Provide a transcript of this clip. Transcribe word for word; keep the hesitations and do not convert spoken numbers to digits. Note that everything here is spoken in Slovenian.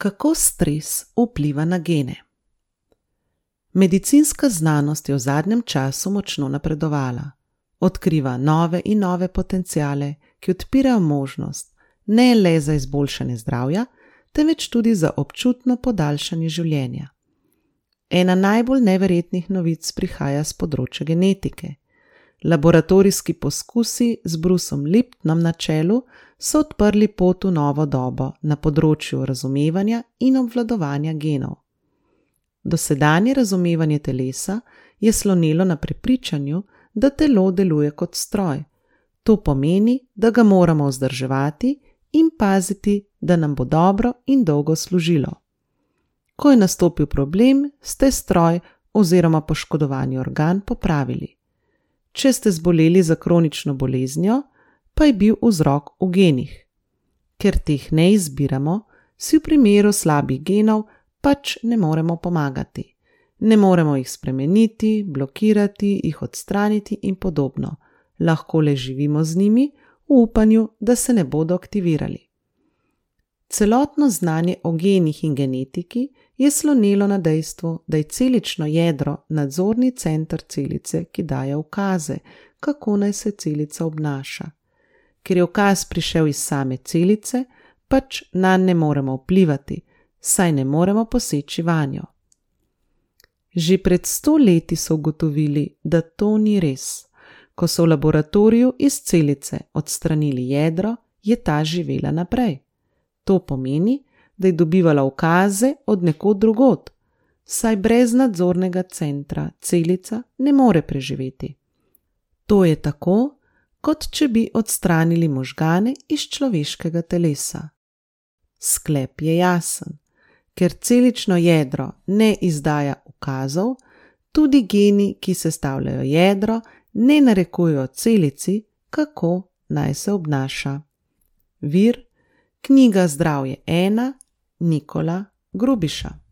Kako stres vpliva na gene? Medicinska znanost je v zadnjem času močno napredovala. Odkriva nove in nove potenciale, ki odpirajo možnost ne le za izboljšanje zdravja, temveč tudi za občutno podaljšanje življenja. Ena najbolj neverjetnih novic prihaja z področja genetike. Laboratorijski poskusi z Bruceom Liptonom na čelu so odprli pot v novo dobo na področju razumevanja in obvladovanja genov. Dosedanje razumevanje telesa je slonelo na prepričanju, da telo deluje kot stroj. To pomeni, da ga moramo vzdrževati in paziti, da nam bo dobro in dolgo služilo. Ko je nastopil problem, ste stroj oziroma poškodovani organ popravili. Če ste zboleli za kronično boleznijo, pa je bil vzrok v genih. Ker teh ne izbiramo, si v primeru slabih genov pač ne moremo pomagati. Ne moremo jih spremeniti, blokirati, jih odstraniti in podobno. Lahko le živimo z njimi v upanju, da se ne bodo aktivirali. Celotno znanje o genih in genetiki je slonelo na dejstvu, da je celično jedro nadzorni center celice, ki daje ukaze, kako naj se celica obnaša. Ker je ukaz prišel iz same celice, pač nanj ne moremo vplivati, saj ne moremo poseči vanjo. Že pred sto leti so ugotovili, da to ni res. Ko so v laboratoriju iz celice odstranili jedro, je ta živela naprej. To pomeni, da je dobivala ukaze od nekod drugod, saj brez nadzornega centra celica ne more preživeti. To je tako, kot če bi odstranili možgane iz človeškega telesa. Sklep je jasen. Ker celično jedro ne izdaja ukazov, tudi geni, ki sestavljajo jedro, ne narekujejo celici, kako naj se obnaša. Vir: knjiga Zdravje ena, Nikola Grubiša.